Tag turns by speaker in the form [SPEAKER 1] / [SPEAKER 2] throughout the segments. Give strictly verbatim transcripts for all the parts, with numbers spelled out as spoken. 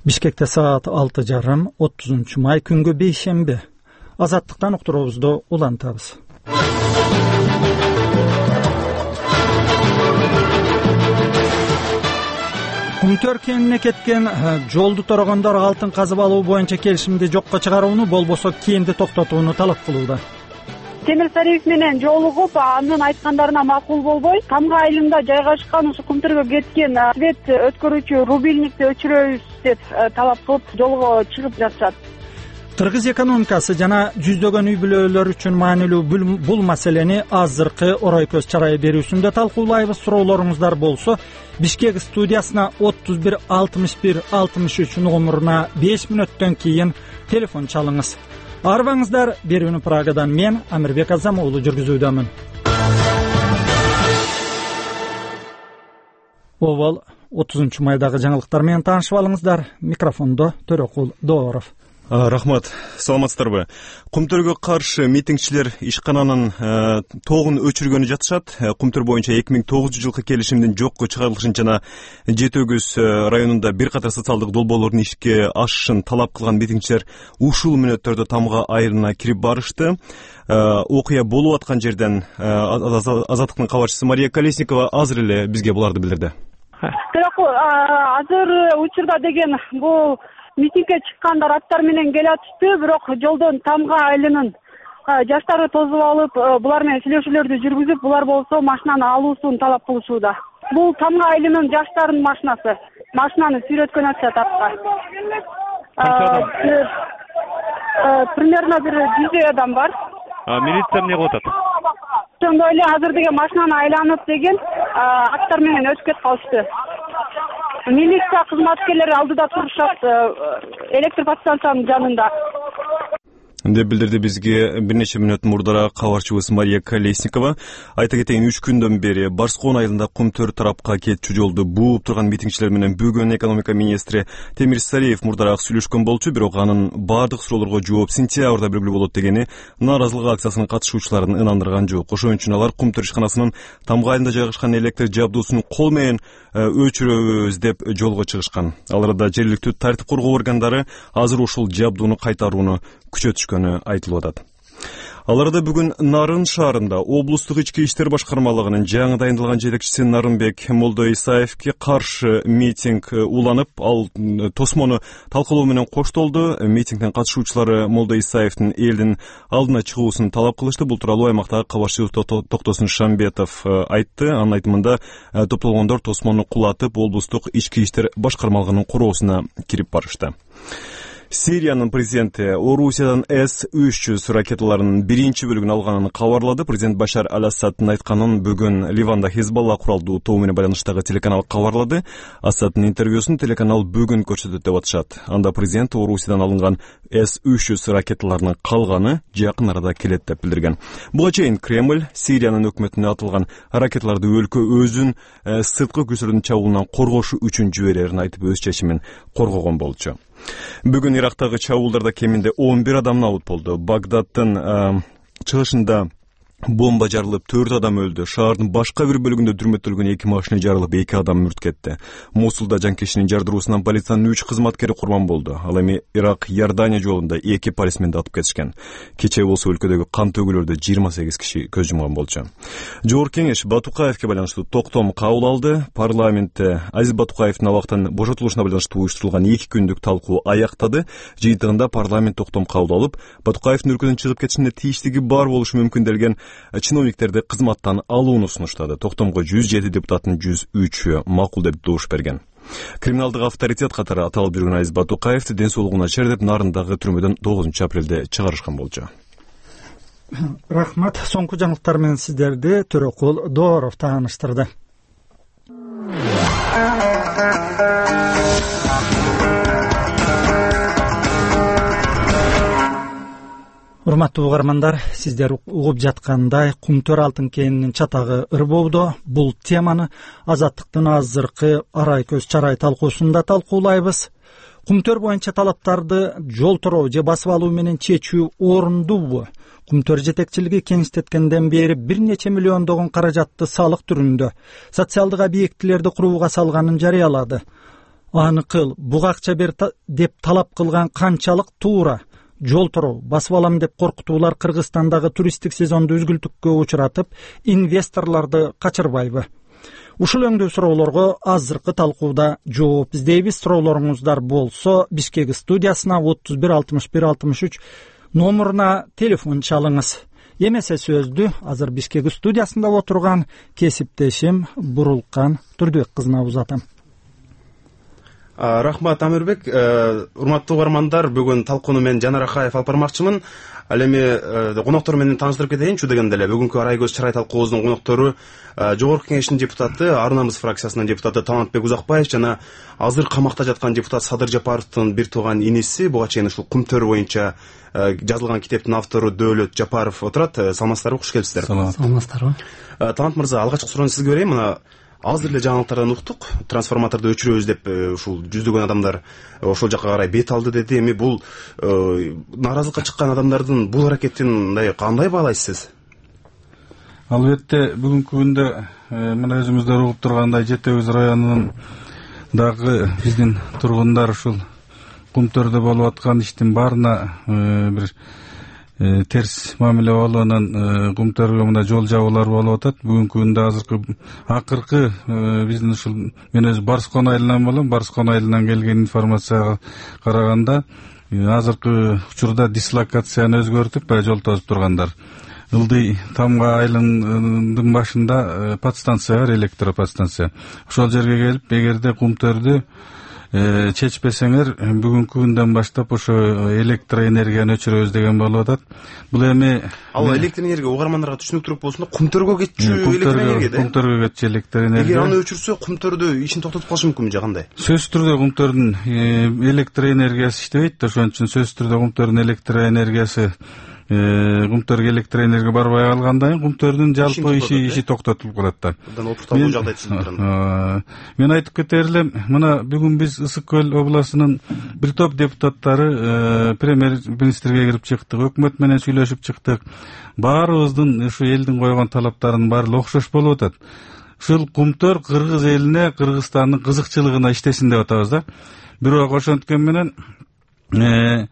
[SPEAKER 1] Бишкекте саат алты жарым, отузунчу май күнгө бейшемби. Азаттыктан уктуруубузду улантабыз. Кумтөр кенине кеткен жолду торогондор алтын казып алуу боюнча келишимди жокко чыгарууну, болбосо кенди токтотууну талап кылууда.
[SPEAKER 2] Темир Сариев менен жолугуп, анын айткандарына макул болбой, Тамга айылында жайгашкан ушу Кумтөргө кеткен свет өткөрүүчү рубильникти өчүрөбүз деп талап кылып жолго чыгып жатышат.
[SPEAKER 1] Кыргыз экономикасы жана жүздөгөн үй бүлөлөр үчүн маанилүү бул маселени азыркы орой көз чарай берүүсүндө талкуулайбыз. Суроолоруңуздар болсо Бишкек студиясына отуз бир алтымыш бир алтымыш үч номуруна беш мүнөттөн кийин телефон чалыңыз. Арбаңыздар, берүүнү Прагадан мен Амирбек Азам уулу жүргүзүүдөмүн. Обол отузунчу майдагы жаңылыктар менен таанышып алыңыздар. Микрофондо Төрөкул Дооров.
[SPEAKER 3] Рахмат. Саламатсыздарбы? Кумтөргө каршы митингчилер ишкананын тогун өчүргөнү жатышат. Кумтөр боюнча эки миң тогузунчу жылкы келишимдин жокко чыгарылышын жана Жети Өгүз районунда бир катар социалдык долбоорлордун ишке ашышын талап кылган митингчилер ушул мүнөттөрдө Тамга айылына кирип барышты. Окуя болуп аткан жерден Азаттыктын кабарчысы Мария Колесникова азыр эле бизге буларды билдирди.
[SPEAKER 2] Азыр учурда деген бул митингге чыккандар аттар менен келатышты, бирок жолдон Тамга айылынын жаштары тозуп алып, булар менен сүйлөшүүлөрдү жүргүзүп, булар болсо машинаны алуусун талап кылышууда. Бул Тамга айылынын жаштарынын машинасы. Машинаны сүйрөткөн атышат атка. Примерно бир жүздөй адам бар.
[SPEAKER 4] Милиция эмне кылып атат?
[SPEAKER 2] Ошондой эле азыр деген машинаны айланып деген аттар менен өтүп кетип калышты. Милиция кызматкерлери алдыда турушат, электр подстанциянын жанында.
[SPEAKER 3] Деп билдирди бизге бир нече мүнөт мурдараак кабарчыбыз Мария Колесникова. Айта кетейин, үч күндөн бери Барскоон айылында Кумтөр тарапка кетчү жолду бууп турган митингчилер менен бүгүн экономика министри Темир Сариев мурдараак сүйлөшкөн болчу, бирок анын баардык суроолорго жооп сентябрда белгилүү болот дегени нааразылык акциясынын катышуучуларын ынандырган жок. Ошон үчүн алар Кумтөр ишканасынын Тамга айылында жайгашкан электр жабдуусун кол менен өчүрөбүз деп жолго чыгышкан. Аларда жергиликтүү тартип коргоо органдары азыр ушул жабдууну кайтарууну күчөтүшкөнү айтылып атат. Аларда бүгүн Нарын шаарында облустук ички иштер башкармалыгынын жаңы дайындалган жетекчиси Нарынбек Молдоисаевке каршы митинг уланып, ал тосмону талкалоо менен коштолду. Митингдин катышуучулары Молдоисаевдин элдин алдына чыгуусун талап кылышты. Бул тууралуу аймактагы кабарчыбыз Токтосун Шамбетов айтты. Анын айтымында топтолгондор тосмону кулатып, облустук ички иштер башкармалыгынын короосуна кирип барышты. Сириянын президенти Орусиядан эс үч жүз ракеталарынын биринчи бөлүгүн алганын кабарлады. Президент Башар аль-Асаддын айтканын бүгүн Ливанда Хизбалла куралдуу тобу менен байланыштагы телеканал кабарлады. Асаддын интервьюсун телеканал бүгүн көрсөтөт деп атышат. Анда президент Орусиядан алынган эс үч жүз ракеталарынын калганы жакын арада келет деп билдирген. Буга чейин Кремль Сириянын өкмөтүнө атылган ракеталарды өлкө өзүн сырткы күчтөрдүн чабуулунан коргошу үчүн жиберерин айтып, өз чечимин коргогон болчу. Бүгүн Ирактагы чабуулдарда кеминде он бир адам набыт болду. Багдаддын чыгышында бомба жарылып, төрт адам өлдү. Шаардын башка бир бөлүгүндө дүрмөтөлгөн эки машина жарылып, эки адам мүрт кетти. Мосулда жанкечинин жардыруусунан полициянын үч кызматкери курман болду. Ал эми Ирак Иордания жолунда эки полисменди атып кетишкен. Кечээ болсо өлкөдөгү кан төгүүлөрдө жыйырма сегиз киши көз жумган болчу. Жогорку кеңеш Батукаевке байланыштуу токтом кабыл алды. Парламентте Азиз Батукаевдин абактан бошотулушуна байланыштуу уюштурулган эки күндүк талкуу аяктады. Жыйынтыгында парламент токтом кабыл алып, Батукаевдин өлкөдөн чыгып кетишине тийиштиги бар болушу мүмкүн делген чиновниктерди кызматтан алууну сунуштады. Токтомго жүз жети депутаттын жүз үчү макул деп добуш берген. Криминалдык авторитет катары аталып жүргөн Азиз Батукаевди ден соолугуна чер деп Нарындагы түрмөдөн тогузунчу апрелде чыгарышкан болчу.
[SPEAKER 1] Рахмат. Соңку жаңылыктар менен сиздерди Төрөкул Дооров тааныштырды. Урматтуу угармандар, сиздер угуп жаткандай Кумтөр алтын кенинин чатагы ырбоодо. Бул теманы Азаттыктын азыркы арай көз чарай талкуусунда талкуулайбыз. Кумтөр боюнча талаптарды жол тороо же басып алуу менен чечүү орундуубу? Кумтөр жетекчилиги кеңиштеткенден бери бир нече миллиондогон каражатты салык түрүндө социалдык объектилерди курууга салганын жарыялады. аны кыл, буга акча бер деп талап кылган канчалык туура? Жол туруу басып алам деп коркутуулар Кыргызстандагы туристтик сезонду үзгүлтүккө учуратып, инвесторлорду качырбайбы? Ушул өңдүү суроолорго азыркы талкууда жооп издейбиз. Суроолоруңуздар болсо Бишкек студиясына отуз бир алтымыш бир алтымыш үч номуруна телефон чалыңыз. Эмесе сөздү азыр Бишкек студиясында отурган кесиптешим Бурулкан Турдубек кызына узатам.
[SPEAKER 5] Рахмат, Амирбек. Урматтуу угармандар, бүгүн талкууну мен Жанар Акаев алып бармакчымын. Ал эми коноктору менен тааныштырып кетейинчи дегенде эле бүгүнкү Арай көз чарай талкуубуздун коноктору Жогорку Кеңештин депутаты, Ар Намыс фракциясынын депутаты Талантбек Узакбаев жана азыр камакта жаткан депутат Садыр Жапаровдун бир тууган иниси, буга чейин ушул Кумтөр боюнча жазылган китептин автору Дөөлөт Жапаров отурат. Саламатсыздарбы, куш келипсиздер.
[SPEAKER 6] Саламатсыздарбы.
[SPEAKER 5] Талант мырза, алгачкы суроону сизге берейин. Мына азыр эле жаңылыктардан уктук, трансформаторду өчүрөбүз деп ушул жүздөгөн адамдар ошол жака карай бет алды деди. Эми бул нааразылыкка чыккан адамдардын бул аракетин мындай кандай баалайсыз?
[SPEAKER 6] Албетте бүгүнкү күндө мына өзүңүздөр угуп тургандай Жети Өгүз районунун дагы биздин тургундар ушул Кумтөрдө болуп аткан иштин баарына бир терс мамиле болуунан Кумтөргө мына жол жабуулар болуп атат. Бүгүнкү күндө азыркы акыркы биздин ушул мен өзү Барскон айылынан болом. Барскон айылынан келген информацияга караганда азыркы учурда дислокацияны өзгөртүп баягы жол тосуп тургандар. Ылдый Тамга айылынын башында подстанция бар, электроподстанция. Ошол жерге келип, эгерде Кумтөрдү чечпесеңер бүгүнкү күндөн баштап ошо электроэнергияны өчүрөбүз деген болуп атат. Бул эми
[SPEAKER 5] ал электроэнергия угармандарга түшүнүктүүрөөк болсун да, Кумтөргө кетчү электроэнергия да.
[SPEAKER 6] Кумтөргө кетчү электроэнергия.
[SPEAKER 5] Эгер аны өчүрсө, Кумтөрдө ишин токтотуп калышы мүмкүнбү же кандай?
[SPEAKER 6] Сөзсүз түрдө Кумтөрдүн электроэнергиясы иштебейт. Ошон үчүн сөзсүз түрдө Кумтөрдүн электроэнергиясы Кумтөргө электроэнергия барбай калгандан кийин Кумтөрдүн жалпы иши иши токтотулуп калат да.
[SPEAKER 5] Абдан опурталуу жагдай түзүлүп турат.
[SPEAKER 6] Мен айтып кетер элем, мына бүгүн биз Ысык Көл областынын бир топ депутаттары премьер-министрге кирип чыктык, өкмөт менен сүйлөшүп чыктык. Баарыбыздын ушу элдин койгон талаптарынын баары окшош болуп атат. Ушул Кумтөр кыргыз элине, Кыргызстандын кызыкчылыгына иштесин деп атабыз да. Бирок ошонткөн менен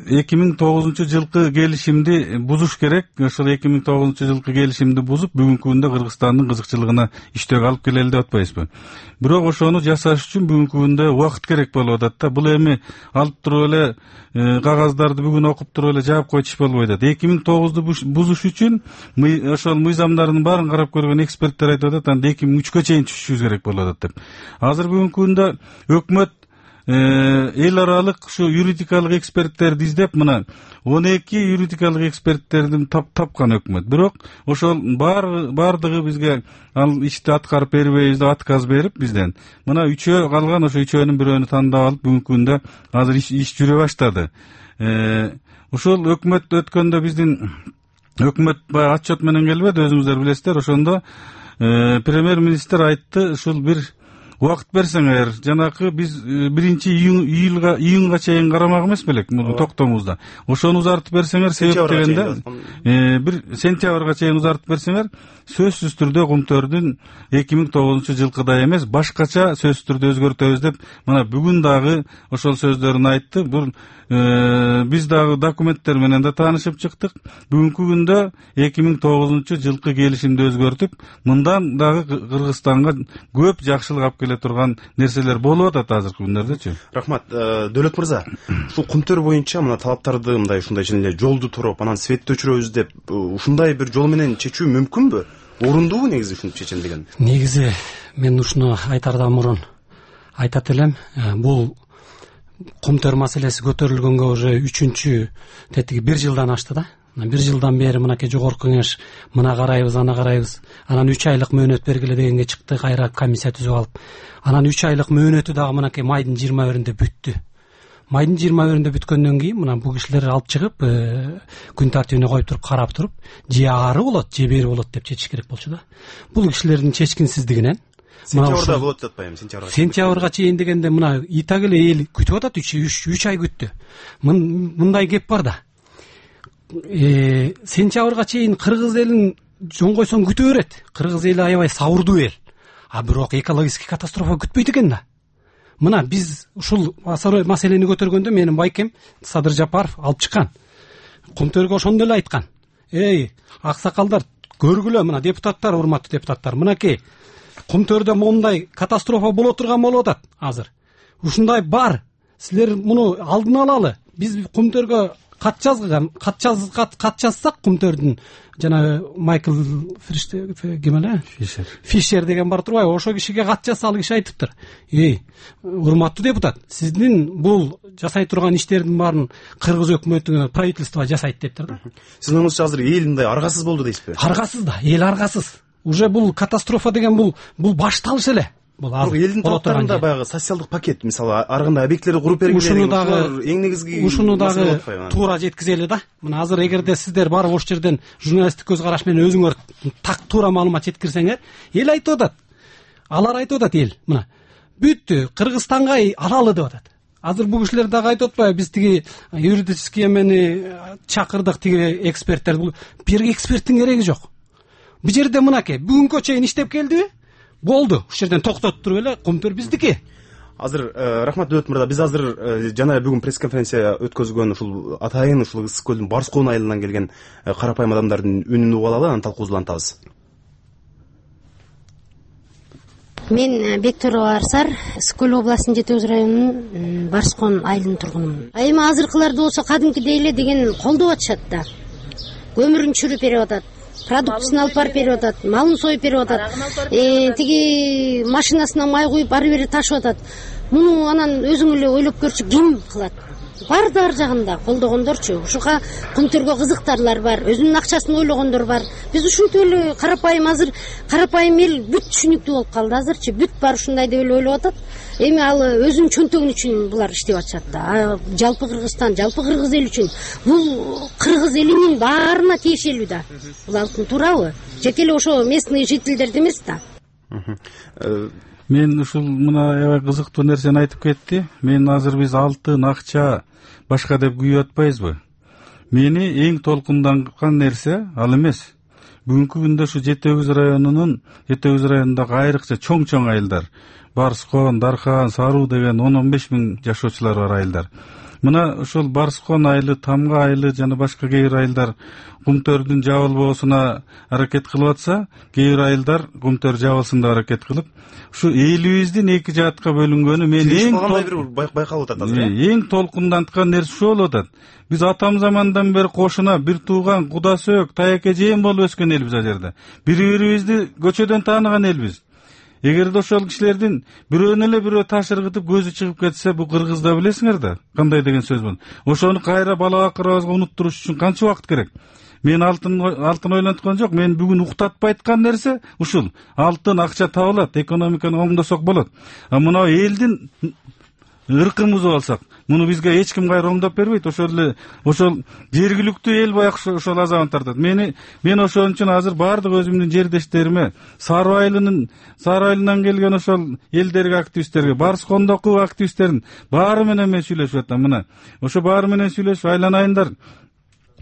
[SPEAKER 6] эки миң тогузунчу жылкы келишимди бузуш керек. Ошол эки миң тогузунчу жылкы келишимди бузуп, бүгүнкү күндө Кыргызстандын кызыкчылыгына иштөөгө алып келели деп атпайбызбы? Бирок ошону жасаш үчүн бүгүнкү күндө убакыт керек болуп атат да. Бул эми алып туруп эле кагаздарды бүгүн окуп туруп эле жаап койчу иш болбойт да. эки миң тогузду бузуш үчүн ошол мыйзамдардын баарын карап көргөн эксперттер айтып атат, анда эки миң үчкө чейин түшүшүбүз керек болуп атат деп. Азыр бүгүнкү күндө өкмөт эл аралык ушу юридикалык эксперттерди издеп, мына он эки юридикалык эксперттердин тапкан өкмөт. Бирок ошол баардыгы бизге ал ишти аткарып бербейбиз деп отказ берип бизден. Мына үчөө калган, ошо үчөөнүн бирөөнү тандап алып бүгүнкү күндө азыр иш жүрө баштады. Ушул өкмөт өткөндө биздин өкмөт баягы отчет менен келбеди, өзүңүздөр билесиздер. Ошондо премьер-министр айтты, ушул бир убакыт берсеңер, жанакы биз биринчи июлга июнга чейин карамак эмес белек муну токтомузда. Ошону узартып берсеңер, себеп дегенде бир сентябрга чейин узартып берсеңер, сөзсүз түрдө Кумтөрдүн эки миң тогузунчу жылкыдай эмес, башкача сөзсүз түрдө өзгөртөбүз деп, мына бүгүн дагы ошол сөздөрүн айтты. Бул биз дагы документтер менен да таанышып чыктык. Бүгүнкү күндө эки миң тогузунчу жылкы келишимди өзгөртүп, мындан дагы Кыргызстанга көп жакшылык алып келе турган нерселер болуп атат азыркы күндөрдөчү.
[SPEAKER 5] Рахмат. Дөөлөт мырза, ушул Кумтөр боюнча мына талаптарды мындай ушундай эле жолду туруп, анан светти өчүрөбүз деп, ушундай бир жол менен чечүү мүмкүнбү? Орундуубу негизи ушинтип чечем деген?
[SPEAKER 7] Негизи мен ушуну айтардан мурун айтат элем, бул Кумтөр маселеси көтөрүлгөнгө уже үчүнчү тетиги бир жылдан ашты да. Бир жылдан бери мынакей Жогорку Кеңеш мына карайбыз, ана карайбыз. Анан үч айлык мөөнөт бергиле дегенге чыкты, кайра комиссия түзүп алып. Анан үч айлык мөөнөтү дагы мынакей майдын жыйырма биринде бүттү. Майдын жыйырма биринде бүткөндөн кийин мына бул кишилер алып чыгып, күн тартибине коюп туруп карап туруп, же ары болот, же бери болот деп чечиш керек болчу да. Бул кишилердин чечкинсиздигинен
[SPEAKER 5] сентябрда болот деп атпаймынбы, сентябрга.
[SPEAKER 7] Сентябрга чейин дегенде мына и так эле эл күтүп атат, үч ай күттү. Мындай кеп бар да. Э, сентябрга чейин кыргыз элин жон койсоң күтө берет. Кыргыз эли аябай сабырдуу эл. А бирок экологический катастрофа күтпөйт экен да. мына биз ушул маселени көтөргөндө менин байкем Садыр Жапаров алып чыккан. Кумтөргө ошондо эле айткан. Эй, аксакалдар, көргүлө, мына депутаттар, урматтуу депутаттар, мынакей Кумтөрдө моундай катастрофа боло турган болуп атат азыр. Ушундай бар. Силер муну алдын алалы. Биз Кумтөргө кат жазган, кат жаз кат жазсак Кумтөрдүн жана Майкл Фишер ким эле? Фишер. Фишер деген бар турбайбы? Ошо кишиге кат жазса, ал киши айтыптыр. Эй, урматтуу депутат, сиздин бул жасай турган иштердин баарын кыргыз өкмөтүнө, правительство жасайт дептир да.
[SPEAKER 5] Сиздин оңуңузча азыр эл мындай аргасыз болду дейсизби?
[SPEAKER 7] Аргасыз да, эл аргасыз. Уже бул катастрофа деген бул бул башталыш эле. Бул азыр
[SPEAKER 5] элдин талаптарында баягы социалдык пакет, мисалы ар кандай объектилерди куруп бергиле
[SPEAKER 7] ушуну дагы
[SPEAKER 5] эң негизги
[SPEAKER 7] ушуну дагы туура жеткизели да. Мына азыр эгерде сиздер барып ошол жерден журналисттик көз караш менен өзүңөр так туура маалымат жеткирсеңер, эл айтып атат. Алар айтып атат эл. Мына бүттү, Кыргызстанга алалы деп атат. Азыр бул кишилер дагы айтып атпайбы, биз тиги юридический эмени чакырдык, тиги эксперттер. Бул бир эксперттин кереги жок. Бул жерде мынакей бүгүнкө чейин иштеп келдиби? Болду. Ушул жерден токтотуп туруп эле Кумтөр биздики.
[SPEAKER 5] Азыр рахмат Дөбөт мырза, биз азыр жана бүгүн пресс-конференция өткөзгөн ушул атайын ушул ысык көлдүн Барскон айылынан келген карапайым адамдардын үнүн угуп алалы, анан талкуубузду улантабыз.
[SPEAKER 8] Мен Бектурова Арсар, Ысык көл областынын Жети Өгүз районунун Барскон айылынын тургунумун. Эми азыркыларды болсо кадимкидей эле деген колдоп атышат да. Көмүрүн чүрүп берип атат. Продуктысын алып барып берип атат, малын союп берип атат, тиги машинасына май куюп ары бери ташып атат. Муну анан өзүң эле ойлоп көрчү, ким кылат? Бар да ар жагында колдогондорчу. Ушуга Кумтөргө кызыктарлар бар, өзүнүн акчасын ойлогондор бар. Биз ушинтип эле карапайым азыр карапайым эл бүт түшүнүктүү болуп калды азырчы. Бүт бар ушундай деп эле ойлоп атат. Эми ал өзүнүн чөнтөгүн үчүн булар иштеп атышат да. Жалпы Кыргызстан, жалпы кыргыз эл үчүн. Бул кыргыз элинин баарына тиешелүү да. Бул алтын туурабы? Жеке эле ошо местный жительдерди эмес да.
[SPEAKER 6] Мен ушул мына аябай кызыктуу нерсени айтып кетти. Мен азыр биз алтын, акча, башка деп күйүп атпайбызбы? Мени эң толкунданган нерсе ал эмес. Бүгүнкү күндө ушу Жети Өгүз районунун, Жети Өгүз районундагы айрыкча чоң-чоң айылдар, Барскон, Дархан, Саруу деген он он беш миң жашоочулар бар айылдар. Мына ушул Барскон айылы, Тамга айылы жана башка кээ бир айылдар Кумтөрдүн жабылбоосуна аракет кылып атса, кээ бир айылдар Кумтөр жабылсын деп аракет кылып, ушу элибиздин эки жаатка бөлүнгөнү мен эң
[SPEAKER 5] байкалып атат азыр.
[SPEAKER 6] Эң толкунданткан нерсе ушул болуп атат. Биз атам замандан бери кошуна бир тууган, куда сөөк, таяке жээн болуп өскөн элбиз ал жерде. Бири-бирибизди көчөдөн тааныган элбиз. Эгерде ошол кишилердин бирөөнү эле бирөө таш ыргытып көзү чыгып кетсе, бул кыргызда билесиңер да, кандай деген сөз бул. Ошону кайра бала акырыбызга унуттуруш үчүн канча убакыт керек? Мен алтын алтын ойлонткон жок. Мен бүгүн уктатпай айткан нерсе ушул. Алтын, акча табылат, экономиканы оңдосок болот. А мына элдин ыркын бузуп алсак, муну бизге эч ким кайра оңдоп бербейт. Ошол эле ошол жергиликтүү эл баягы ошол азабын тартат. Мени мен ошон үчүн азыр баардык өзүмдүн жердештериме, Саруу айылынын Саруу айылынан келген ошол элдерге, активисттерге, Барскондогу активисттердин баары менен мен сүйлөшүп атам. Мына ошо баары менен сүйлөшүп айланайындар.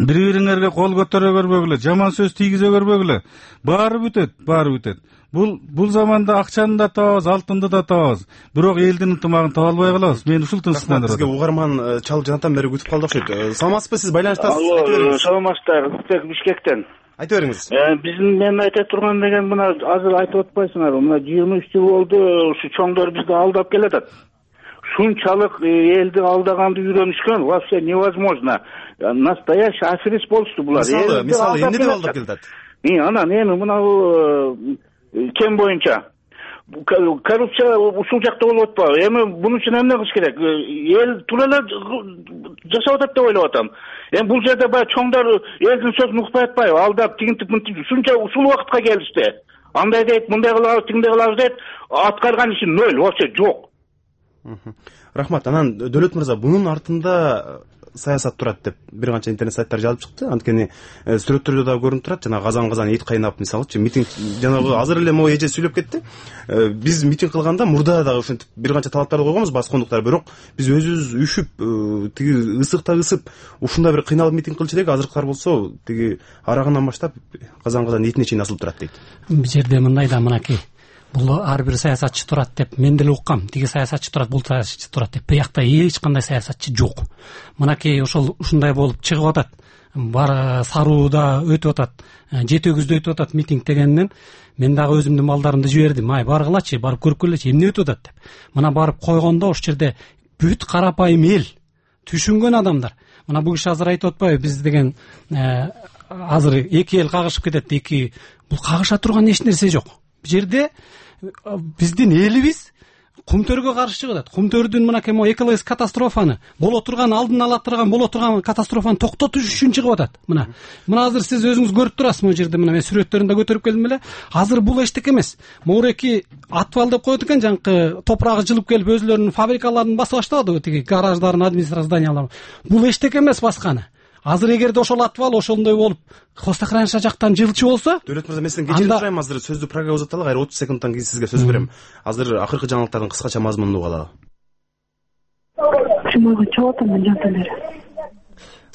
[SPEAKER 6] Бири-бириңерге кол көтөрө көрбөгүлө, жаман сөз тийгизе көрбөгүлө. Баары бүтөт, баары бүтөт. Бул бул заманда акчаны да табабыз, алтынды да табабыз. Бирок элдин ынтымагын таба албай калабыз. Мен ушул тынчсызданып атам.
[SPEAKER 5] Бизге угарман чалып жанатан бери күтүп калды окшойт. Саламатсызбы, сиз байланыштасыз?
[SPEAKER 9] Алло, саламатсыздар. Ысык Бишкектен.
[SPEAKER 5] Айта бериңиз.
[SPEAKER 9] Биздин мен айта турган деген мына азыр айтып атпайсыңарбы? Мына жыйырма үч жыл болду ушу чоңдор бизди алдап келатат. Шунчалык элди алдаганды үйрөнүшкөн, вообще невозможно. Настоящий аферист болушту булар.
[SPEAKER 5] Мисалы, мисалы эмне деп алдап келатат?
[SPEAKER 9] И анан эми мына кем боюнча коррупция ушул жакта болуп атпайбы? Эми бунун үчүн эмне кылыш керек? Эл тура эле жашап атат деп ойлоп атам. Эми бул жерде баягы чоңдор элдин сөзүн укпай атпайбы? Алдап тигинтип мынтип ушунча ушул убакытка келишти. Андай дейт, мындай кылабыз, тигиндей кылабыз дейт, аткарган иши ноль, вообще жок.
[SPEAKER 5] Рахмат. Анан Дөбөт мырза, бунун артында саясат турат деп бир канча интернет сайттар жазып чыкты. Анткени сүрөттөрдө да көрүнүп турат. Жана казан-казан эт кайнап, мисалычы митинг жанагы азыр эле могу эже сүйлөп кетти. Биз митинг кылганда мурда дагы ушинтип бир канча талаптарды койгонбуз баскондуктар, бирок биз өзүбүз үшүп, тиги ысыкта ысып, ушундай бир кыйналып митинг кылчу элек. Азыркылар болсо тиги арагынан баштап казан-казан этине чейин асылып турат дейт.
[SPEAKER 7] Бул жерде мындай да мынакей бул ар бир саясатчы турат деп мен деле уккам. Тиги саясатчы турат, бул саясатчы турат деп. Биякта эч кандай саясатчы жок. Мынакей ошол ушундай болуп чыгып атат. Бар Сарууда өтүп атат, Жети өгүздө өтүп атат митинг дегенден мен дагы өзүмдүн балдарымды жибердим. Ай баргылачы, барып көрүп келечи, эмне өтүп атат деп. Мына барып койгондо ошол жерде бүт карапайым эл, түшүнгөн адамдар. Мына бул киши азыр айтып атпайбы, биз деген азыр эки эл кагышып кетет. Эки бул кагыша турган эч нерсе жок. Бул жерде биздин элибиз кумтөргө каршы чыгып атат. Кумтөрдүн мынакей могу экологик катастрофаны, боло турган алдын ала турган, боло турган катастрофаны токтотуш үчүн чыгып атат. Мына. Мына азыр сиз өзүңүз көрүп турасыз могу жерде, мына мен сүрөттөрүн да көтөрүп келдим эле. Азыр бул эчтеке эмес. Моуреки атвал деп коет экен, жанкы топурагы жылып келип өзлөрүнүн фабрикаларын басып баштабады, тиги гараждарын, администрация зданияларын. Бул эчтеке эмес басканы. Азыр эгерде ошол атвал ошондой болуп хвостохранилище жактан жылчу болсо,
[SPEAKER 5] Дөөлөт мырза, мен сизден кечирим сурайм, азыр сөздү программа узатталы, кайра отуз секундтан кийин сизге сөз берем. Азыр акыркы жаңылыктардын кыскача мазмунун угалы.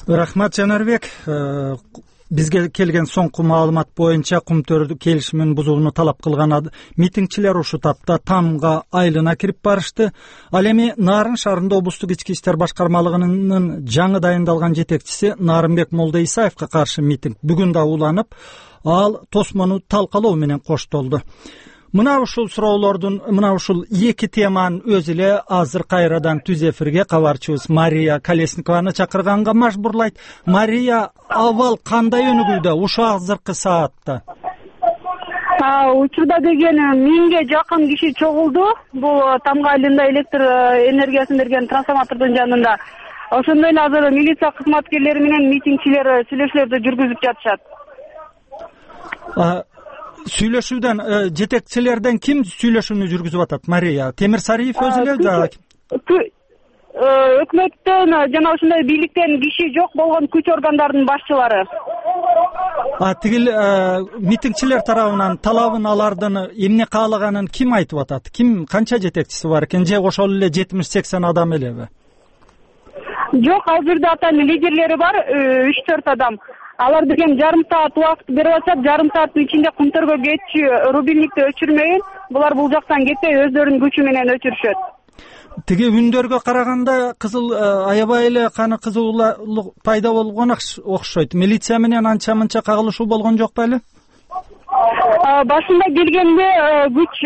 [SPEAKER 1] Рахмат, Жанарбек. Бизге келген соңку маалымат боюнча Кумтөр келишимин бузууну талап кылган митингчилер ушу тапта Тамга айылына кирип барышты. Ал эми Нарын шаарында облустук ички иштер башкармалыгынын жаңы дайындалган жетекчиси Нарымбек Молда Исаевка каршы митинг бүгүн да уланып, ал тосмону талкалоо менен коштолду. Мына ушул суроолордун, мына ушул эки теманын өзү эле азыр кайрадан түз эфирге кабарчыбыз Мария Колесникованы чакырганга мажбурлайт. Мария, абал кандай өнүгүүдө ушу азыркы саатта?
[SPEAKER 2] Учурда деген миңге жакын киши чогулду. Бул Тамга айылында электр энергиясын берген трансформатордун жанында. Ошондой эле азыр милиция кызматкерлери менен митингчилер сүйлөшүүлөрдү жүргүзүп жатышат.
[SPEAKER 1] Сүйлөшүүдөн жетекчилерден ким сүйлөшүүнү жүргүзүп атат, Мария? Темир Сариев өзү эле да?
[SPEAKER 2] Өкмөттөн жана ошондой бийликтен киши жок болгон күч органдарынын башчылары.
[SPEAKER 1] А тигил митингчилер тарабынан талабын алардын эмне каалаганын ким айтып атат? Ким, канча жетекчиси бар экен? Же ошол эле жетимиш сексен адам элеби?
[SPEAKER 2] Жок, ал жерде атайын лидерлери бар, үч төрт адам. Алар деген жарым саат убакыт берип атышат, жарым сааттын ичинде Кумтөргө кетчү рубильникти өчүрмөйүн. Булар бул жактан кетпей өздөрүнүн күчү менен өчүрүшөт.
[SPEAKER 1] Тиги үндөргө караганда кызыл аябай эле каны кызуулук пайда болгон окшойт. Милиция менен анча мынча кагылышуу болгон жок беле?
[SPEAKER 2] Башында келгенде күч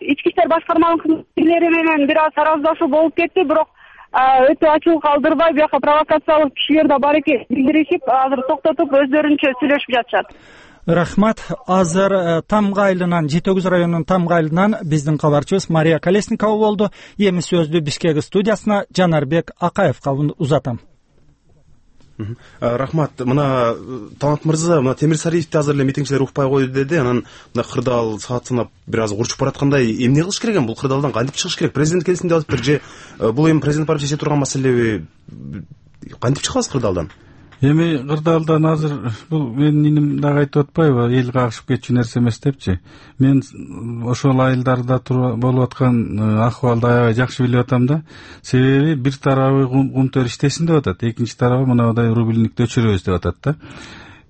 [SPEAKER 2] ички иштер башкармалыгынын менен бир аз тараздашуу болуп кетти, бирок өтө ачык калтырбай, бияка провокациялык кишилер да бар экен билдиришип, азыр токтотуп өздөрүнчө сүйлөшүп жатышат.
[SPEAKER 1] Рахмат. Азыр Тамга айылынан, Жети өгүз районунун Тамга айылынан биздин кабарчыбыз Мария Колесникова болду. Эми сөздү Бишкек студиясына Жанарбек Акаевка узатам.
[SPEAKER 5] Рахмат. Мына Талант мырза, мына Темир Сариевди азыр эле митингчилер укпай койду деди. Анан мына кырдаал саат санап бир аз урчуп бараткандай, эмне кылыш керек экен? Бул кырдаалдан кантип чыгыш керек? Президент келсин деп атыптыр же бул эми президент барып чече турган маселеби? Кантип чыгабыз кырдаалдан?
[SPEAKER 6] Эми кырдаалдан азыр бул менин иним дагы айтып атпайбы, эл кагышып кетчү нерсе эмес депчи. Мен ошол айылдарда болуп аткан акыбалды аябай жакшы билип атам да. Себеби бир тарабы Кумтөр иштесин деп атат, экинчи тарабы мындай рубильникти өчүрөбүз деп атат да.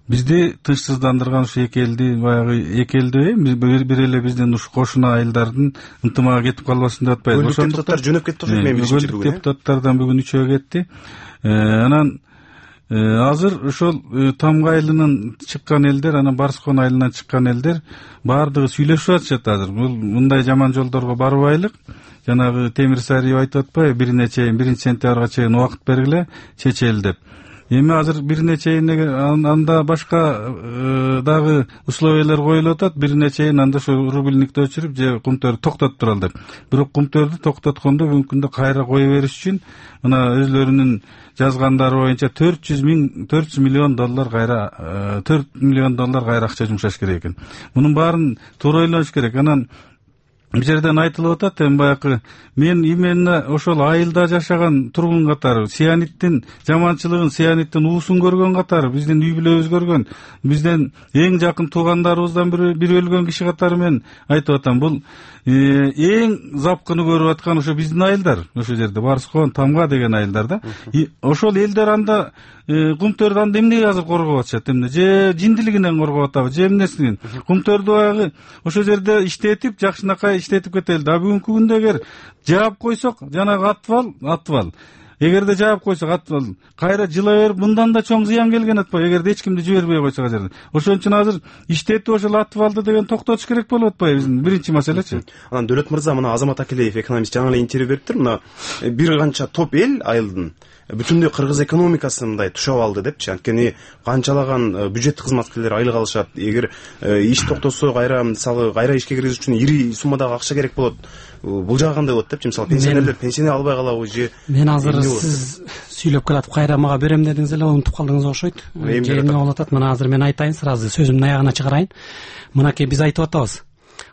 [SPEAKER 6] Бизди тынчсыздандырган ушу эки элди, баягы эки элди бир эле биздин ушу кошуна айылдардын ынтымагы кетип калбасын деп атпайбы.
[SPEAKER 5] Ошондуктан депутаттар жөнөп кетти окшойт, мен билишимче бүгүн.
[SPEAKER 6] Депутаттардан бүгүн үчөө кетти. Анан азыр ошол Тамга айылынан чыккан элдер, анан Барскон айылынан чыккан элдер баардыгы сүйлөшүп атышат азыр. Бул мындай жаман жолдорго барбайлык. Жанагы Темир Сариев айтып атпайбы, бирине чейин биринчи сентябрга чейин убакыт бергиле, чечели деп. Эми азыр бирине чейин анда башка дагы условиялар коюлуп атат, бирине чейин анда ошо рубильникти өчүрүп же Кумтөрдү токтотуп туралы деп. Бирок Кумтөрдү токтоткондо бүгүнкү күндө кайра кое бериш үчүн мына өзлөрүнүн жазгандары боюнча төрт жүз миң төрт жүз миллион доллар кайра төрт миллион доллар кайра акча жумшаш керек экен. Мунун баарын туура ойлош керек. Анан бул жерден айтылып атат, эми баягы мен именно ошол айылда жашаган тургун катары сианиттин жаманчылыгын, сианиттин уусун көргөн катары, биздин үй бүлөбүз көргөн, бизден эң жакын туугандарыбыздан бири бир өлгөн киши катары мен айтып атам. Бул эң запкыны көрүп аткан ошо биздин айылдар, ошол жерде Барскон, Тамга деген айылдар да. Ошол элдер анда кумтөрдү анда эмнеге азыр коргоп атышат, эмне же жиндилигинен коргоп атабы, же эмнесинен? Кумтөрдү баягы ошол жерде иштетип, жакшынакай иштетип кетели. А бүгүнкү күндө эгер жаап койсок, жанагы атвал, атвал. Эгерде жаап койсок, атвал кайра жыла берип, мындан да чоң зыян келген атпайбы, эгерде эч кимди жибербей койсок жерде. Ошон үчүн азыр иштетип ошол атвалды деген токтотуш керек болуп атпайбы, биздин биринчи маселечи.
[SPEAKER 5] Анан Дөөлөт мырза, мына Азамат Акилеев экономист жаңы эле интервью бериптир. Мына бир канча топ эл айылдын бүтүндөй кыргыз экономикасын мындай тушап алды депчи. Анткени канчалаган бюджет кызматкерлер айлык алышат. Эгер иш токтосо, кайра мисалы кайра ишке киргизиш үчүн ири суммадагы акча керек болот. Бул жагы кандай болот депчи? Мисалы пенсионерлер пенсия албай калабы же?
[SPEAKER 7] Мен азыр сиз сүйлөп келатып кайра мага берем дедиңиз эле, унутуп калдыңыз окшойт. Же эмне болуп атат? Мына азыр мен айтайын, сразу сөзүмдүн аягына чыгарайын. Мынакей биз айтып атабыз.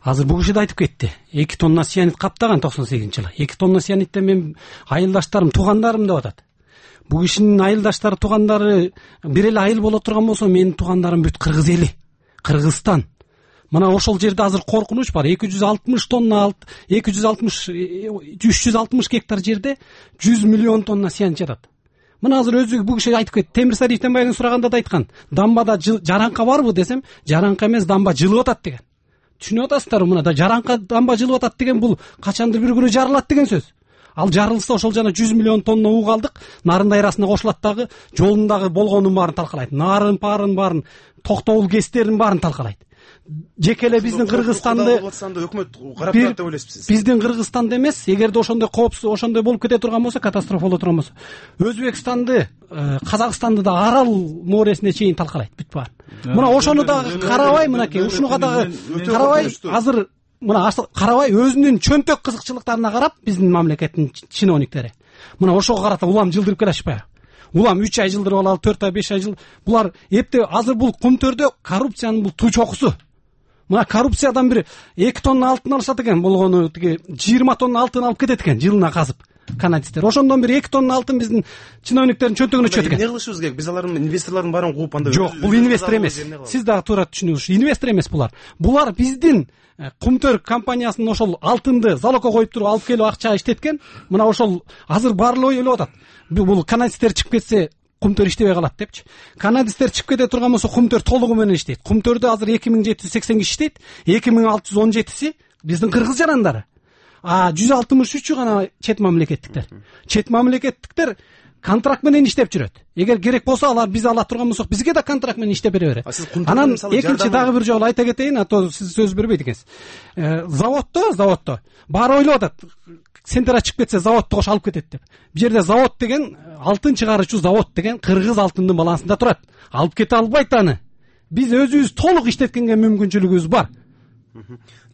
[SPEAKER 7] Азыр бул киши да айтып кетти. эки тонна сианит каптаган токсон сегизинчи жылы. эки тонна сианиттен мен айылдаштарым, туугандарым деп атат. Бул кишинин айылдаштары, туугандары бир эле айыл боло турган болсо, менин туугандарым бүт кыргыз эли, Кыргызстан. Мына ошол жерде азыр коркунуч бар. эки жүз алтымыш тонна, эки жүз алтымыш, үч жүз алтымыш гектар жерде жүз миллион тонна сианит жатат. Мына азыр өзү бул киши айтып кетти. Темирсарий Итембаевдин сураганда да айткан. Дамбада жаранка барбы десем, жаранка эмес, дамба жылып атат деген. Түшүнүп атасыздарбы? Мына да жаранка, дамба жылып атат деген бул качандыр бир күнү жарылат деген сөз. Ал жарылса ошол жана жүз миллион тонна уу калдык нарын дайрасына кошулат дагы, жолундагы болгонун баарын талкалайт. Нарын парын баарын, токтогул кестерин баарын талкалайт. Жеке эле биздин Кыргызстанды
[SPEAKER 5] өкмөт карап турат деп ойлойсузбуз?
[SPEAKER 7] Биздин Кыргызстанды эмес, эгерде ошондой коопсуз, ошондой болуп кете турган болсо, катастрофа боло турган болсо, Өзбекстанды, Казакстанды да арал мооресине чейин талкалайт бүт баарын. Мына ошону дагы карабай, мынакей ушуга дагы карабай, азыр мына карабай өзүнүн чөнтөк кызыкчылыктарына карап, биздин мамлекеттин чиновниктери мына ошого карата улам жылдырып келишпайбы? Улам үч ай жылдырып алалы, төрт ай, беш ай жыл. Булар эптеп азыр бул Кумтөрдө коррупциянын бул туу чокусу. Мына коррупциядан бир эки тонна алтын алышат экен, болгону тиги жыйырма тонна алтын алып кетет экен жылына казып канадисттер. Ошондон бир эки тонна алтын биздин чиновниктердин чөнтөгүнө чөт экен.
[SPEAKER 5] Эмне кылышыбыз керек? Биз алардын инвесторлордун баарын кууп анда.
[SPEAKER 7] Жок, бул инвестор эмес. Сиз дагы туура түшүнүңүз. Инвестор эмес булар. Булар биздин Кумтөр компаниясынын ошол алтынды залогко коюп туруп алып келип акча иштеткен. Мына ошол азыр баарлоо ойлоп атат. Бул канадисттер чыгып кетсе, Кумтөр иштебей калат депчи. Канадисттер чыгып кете турган болсо, Кумтөр толугу менен иштейт. Кумтөрдө азыр эки миң жети жүз сексен киши иштейт. эки миң алты жүз он жетиси биздин кыргыз жарандары. А жүз алтымыш үчү гана чет мамлекеттиктер. Чет мамлекеттиктер контракт менен иштеп жүрөт. Эгер керек болсо, алар биз ала турган болсок, бизге да контракт менен иштеп бере берет. Анан экинчи дагы бир жолу айта кетейин, а то сиз сөз бербейт экенсиз. Заводдо, заводдо баары ойлоп атат. Сентер чыгып кетсе, заводду кош алып кетет деп. Бул жерде завод деген, алтын чыгаруучу завод деген кыргыз алтынынын балансында турат. Алып кете албайт аны. Биз өзүбүз толук иштеткенге мүмкүнчүлүгүбүз бар.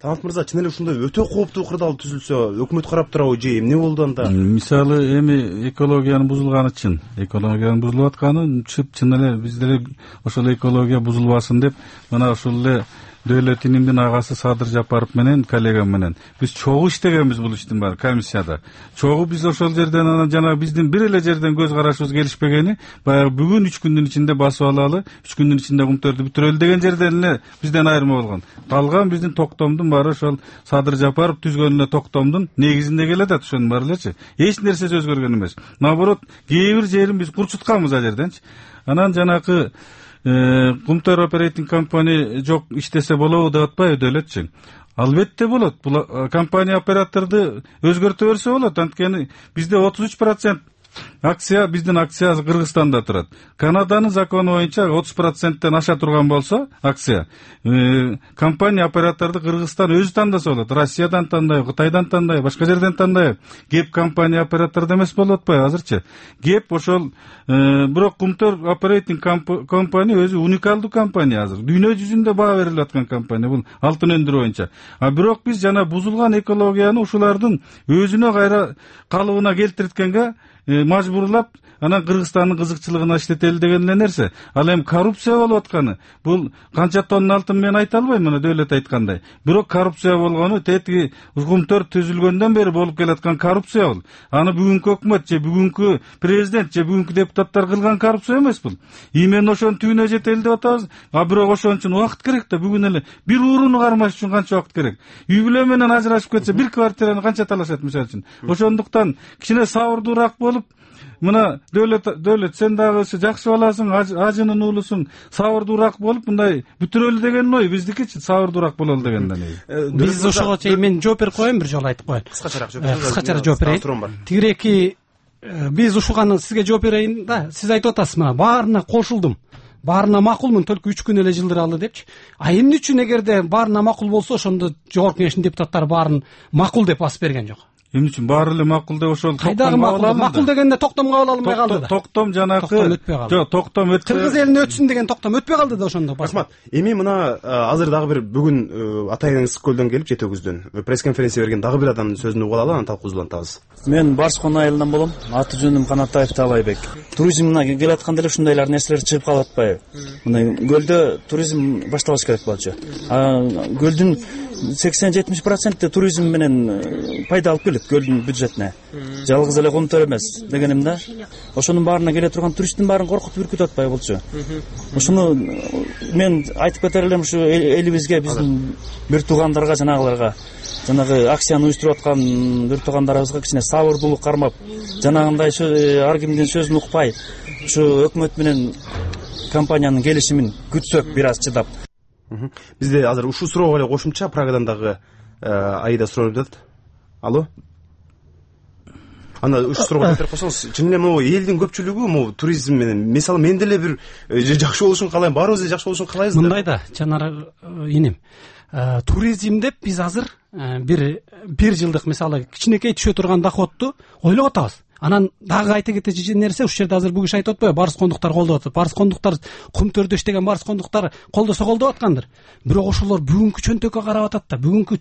[SPEAKER 5] Тамат мырза, чын эле ушундай өтө кооптуу кырдаал түзүлсө, өкмөт карап турабы же эмне болду анда?
[SPEAKER 6] Мисалы, эми экологиянын бузулганы чын. Экологиянын бузулуп атканы чын эле биз деле ошол экология бузулбасын деп, мына ошол эле Дөөлөт инимдин агасы Садыр Жапаров менен, коллегам менен биз чогуу иштегенбиз бул иштин баары комиссияда. Чогуу биз ошол жерден анан жана биздин бир эле жерден көз карашыбыз келишпегени, баягы бүгүн үч күндүн ичинде басып алалы, үч күндүн ичинде Кумтөрдү бүтүрөлү деген жерден эле бизден айырма болгон. Калган биздин токтомдун баары ошол Садыр Жапаров түзгөн эле токтомдун негизинде келет атат, ошонун баары элечи. Эч нерсеси өзгөргөн эмес. Наоборот, кээ бир жерин биз курчутканбыз ал жерденчи. Анан жанакы Кумтөр оперейтинг компания жок иштесе болобу деп атпайбы Дөөлөтчү? Албетте болот. Бул компания операторду өзгөртө берсе болот. Анткени бизде отуз үч процент акция, биздин акция Кыргызстанда турат. Канаданын закону боюнча отуз проценттен аша турган болсо акция, компания операторду Кыргызстан өзү тандаса болот. Россиядан тандайбы, Кытайдан тандайбы, башка жерден тандайбы. Кеп компания операторду эмес болуп атпайбы азырчы? Кеп ошол бирок Кумтөр оперейтинг компания өзү уникалдуу компания азыр. Дүйнө жүзүндө баа берилип аткан компания бул алтын өндүрүү боюнча. А бирок биз жана бузулган экологияны ушулардын өзүнө кайра калыбына келтирткенге мажбурлап анан Кыргызстандын кызыкчылыгына иштетели деген эле нерсе. Ал эми коррупция болуп атканы бул канча тонна алтын мен айта албайм, мына Дөөлөт айткандай. Бирок коррупция болгону тетиги укмтөр түзүлгөндөн бери болуп келаткан коррупция бул. Аны бүгүнкү өкмөт же бүгүнкү президент же бүгүнкү депутаттар кылган коррупция эмес бул. Имен ошонун түбүнө жетели деп атабыз. А бирок ошон үчүн убакыт керек да. Бүгүн эле бир урууну кармаш үчүн канча убакыт керек? Үй бүлө менен ажырашып кетсе бир квартираны канча талашат мисалы үчүн. Ошондуктан кичине сабырдуураак болуп, мына Дөөлөт Дөөлөт сен дагы жакшы баласың, ажынын уулусуң, сабырдуураак болуп мындай бүтүрөлү деген ой биздикичи, сабырдуураак бололу дегенден.
[SPEAKER 7] Биз ошого чейин мен жооп берип коеюн, бир жолу айтып коеюн.
[SPEAKER 5] Кыскачараак жооп бериңиз.
[SPEAKER 7] Кыскачараак жооп берейин. Тигиреки биз ушуганы сизге жооп берейин да. Сиз айтып атасыз, мына баарына кошулдум. Баарына макулмун, только үч күн эле жылдыралы депчи. А эмне үчүн эгерде баарына макул болсо, ошондо жогорку кеңештин депутаттары баарын макул деп басып берген жок?
[SPEAKER 6] Эмне үчүн баары эле макул деп ошол
[SPEAKER 7] кайдагы макул? Макул дегенде токтомго кабыл алынбай калды да.
[SPEAKER 6] Токтом жанакы жок, токтом өтпөй.
[SPEAKER 7] Кыргыз элине өтсүн деген токтом өтпөй калды да ошондо.
[SPEAKER 5] Рахмат. Эми мына азыр дагы бир бүгүн Атайын Ысык көлдөн келип Жети Өгүздөн пресс конференция берген дагы бир адамдын сөзүн угуп алалы, анан талкуусулантабыз.
[SPEAKER 10] Мен Барскон айылынан болом. Аты жөнүм Канатаев Талайбек. Туризмге келатканда эле ушундайлар нерселер чыгып калып атпайбы? Мындай көлдө туризм башталыш керек болчу. А көлдүн сексен жетимиш проценти туризм менен пайда алып келет көлдүн бюджетине. Жалгыз эле комтөр эмес дегеним да. Ошонун баарына келе турган туристтин баарын коркутуп үркүтүп атпай болчу. Ошону мен айтып кетер элем, ушу элибизге, биздин бир туугандарга, жанагыларга, жанагы акцияны уюштуруп аткан бир туугандарыбызга кичине сабырдуулук кармап, жанагындай ар кимдин сөзүн укпай, ушу өкмөт менен компаниянын келишимин күтсөк бир аз чыдап.
[SPEAKER 5] Бизде азыр ушул суроого эле кошумча Прагадан дагы Аида сурап жатат. Алло. Анда ушул суроого жооп берип койсоңуз, чын эле могу элдин көпчүлүгү могу туризм менен, мисалы мен деле бир жакшы болушун каалайм, баарыбыз эле жакшы болушун каалайбыз да.
[SPEAKER 7] Мындай да, жанагы инем. Туризм деп биз азыр бир бир жылдык мисалы кичинекей түшө турган доходту ойлоп атабыз. Анан дагы айта кетечи нерсе, ушул жерде азыр бүгүн айтып атпайбы, барскондуктар колдоп атат. Барскондуктар кумтөрдө иштеген барскондуктар колдосо колдоп аткандыр. Бирок ошолор бүгүнкү чөнтөккө карап атат да, бүгүнкү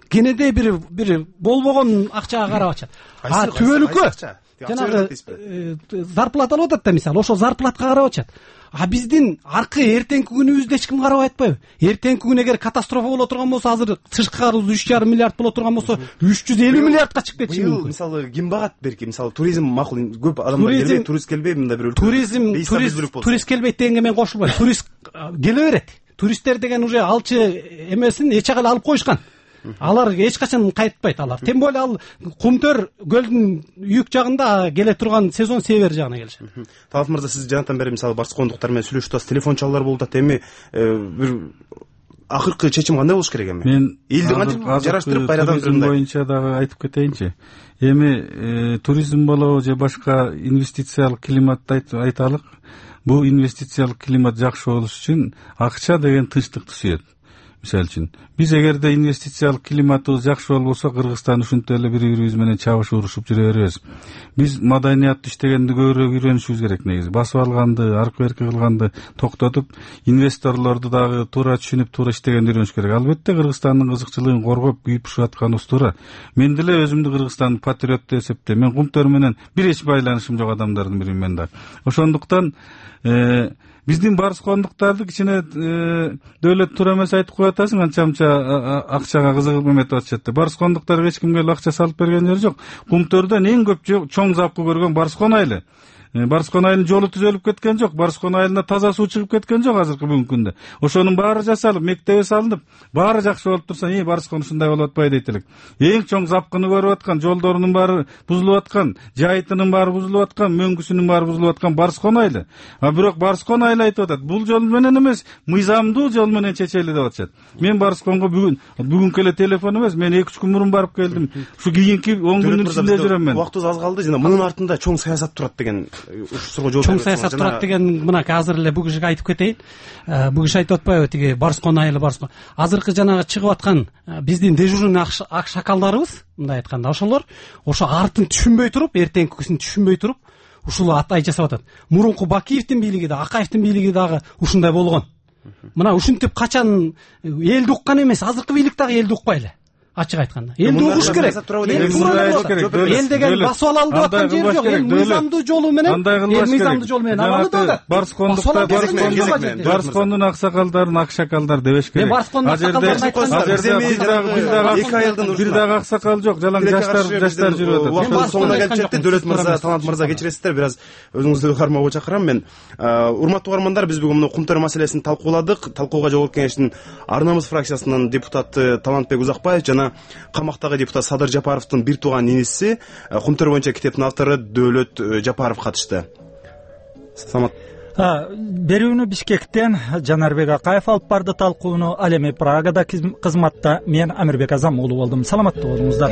[SPEAKER 7] кенеде бир бир болбогон акчага карап атышат. А түбөлүккө жанагы зарплата алып атат да, мисалы ошол зарплатка карап атышат. А биздин аркы эртеңки күнүбүздө эч ким карабай атпайбы? Эртеңки күн эгер катастрофа боло турган болсо, азыр тышкы карыз үч жарым миллиард боло турган болсо, үч жүз элүү миллиардка чыгып кетиши мүмкүн.
[SPEAKER 5] Мисалы ким багат берки, мисалы туризм макул, көп адамдар келбей, турист келбей, мындай бир
[SPEAKER 7] туризм турист келбейт дегенге мен кошулбайм. Турист келе берет. Туристтер деген уже алчы эмесин эч жака эле алып коюшкан. Алар эч качан кайтпайт алар. Тем более ал кумтөр көлдүн үйүк жагында келе турган сезон север жагына келишет.
[SPEAKER 5] Талап мырза, сиз жанатан бери мисалы барскондуктар менен сүйлөшүп атасыз, телефон чалуулар болуп атат. Эми бир акыркы чечим кандай болуш керек эми?
[SPEAKER 6] Мен
[SPEAKER 5] элди кантип жараштырып кайрадан
[SPEAKER 6] туризм боюнча дагы айтып кетейинчи. Эми туризм болобу же башка инвестициялык климатты айталык. Бул инвестициялык климат жакшы болуш үчүн акча деген тынчтыкты сүйөт. Мисалы үчүн биз эгерде инвестициялык климатыбыз жакшы болбосо, Кыргызстан ушинтип эле бири-бирибиз менен чабыш урушуп жүрө беребиз. Биз маданияттуу иштегенди көбүрөөк үйрөнүшүбүз керек негизи. Басып алганды, аркы берки кылганды токтотуп, инвесторлорду дагы туура түшүнүп, туура иштегенди үйрөнүш керек. Албетте Кыргызстандын кызыкчылыгын коргоп, күйүп-пушуп атканыбыз туура. Мен деле өзүмдү Кыргызстандын патриот деп эсептейм. Мен кумтөр менен бир эч байланышым жок адамдардын биримин мен да. Ошондуктан биздин барскондуктарды кичине Дөөлөт туура эмес айтып коюп атасың, анча-мынча акчага кызыгып эметип атышат. Барскондуктарга эч кимге акча салып берген жери жок. Кумтөрдөн эң көп чоң запкы көргөн Барскон айылы. Барскон айылынын жолу түзөлүп кеткен жок, Барскон айылына таза суу чыгып кеткен жок азыркы бүгүнкү күндө. Ошонун баары жасалып, мектеби салынып, баары жакшы болуп турса, "Эй, Барскон ушундай болуп атпайбы" дейт элек. Эң чоң запкыны көрүп аткан, жолдорунун баары бузулуп аткан, жайытынын баары бузулуп аткан, мөңгүсүнүн баары бузулуп аткан Барскон айылы. А бирок Барскон айылы айтып атат, бул жол менен эмес, мыйзамдуу жол менен чечели деп атышат. Мен Барсконго бүгүн бүгүнкү эле телефон эмес, мен эки үч күн мурун барып келдим. Ушу кийинки он күндүн ичинде жүрөм мен.
[SPEAKER 5] Убактыбыз аз калды, жана мунун артында чоң саясат турат деген
[SPEAKER 7] чоң саясат турат деген мына азыр эле бүгүн айтып кетейин. Бүгүн айтып атпайбы, тиги Барскон айылы, Барскон. Азыркы жанагы чыгып аткан биздин дежурный ак шакалдарыбыз, мындай айтканда, ошолор ошо артын түшүнбөй туруп, эртеңкисин түшүнбөй туруп, ушул атай жасап атат. Мурунку Бакиевдин бийлиги да, Акаевдин бийлиги дагы ушундай болгон. Мына ушинтип качан элди уккан эмес, азыркы бийлик дагы элди укпай эле. ачык айтканда элди угуш керек. Эл деген басып алалы деп аткан жери жок. Эл мыйзамдуу жолу менен эл мыйзамдуу жолу менен алалы деп атат.
[SPEAKER 6] Барскондукта Барскондун аксакалдарын акшакалдар дебеш керек.
[SPEAKER 7] А жерде
[SPEAKER 6] бир дагы аксакал жок, жалаң жаштар жаштар жүрүп атат.
[SPEAKER 5] Убакыт соңуна келип жетти. Дөөлөт мырза, Талант мырза, кечиресиздер, бир аз өзүңүздү кармоого чакырам мен. Урматтуу угармандар, биз бүгүн кумтөр маселесин талкууладык. Талкууга Жогорку Кеңештин Ар намыс фракциясынын депутаты Талантбек Узакбаев жана камактагы депутат Садыр Жапаровдун бир тууган иниси, кумтөр боюнча китептин автору Дөөлөт Жапаров катышты. Саламат.
[SPEAKER 1] Берүүнү Бишкектен Жанарбек Акаев алып барды талкууну. Ал эми Прагада кызматта мен Амирбек Азам уулу болдум. Саламатта болуңуздар.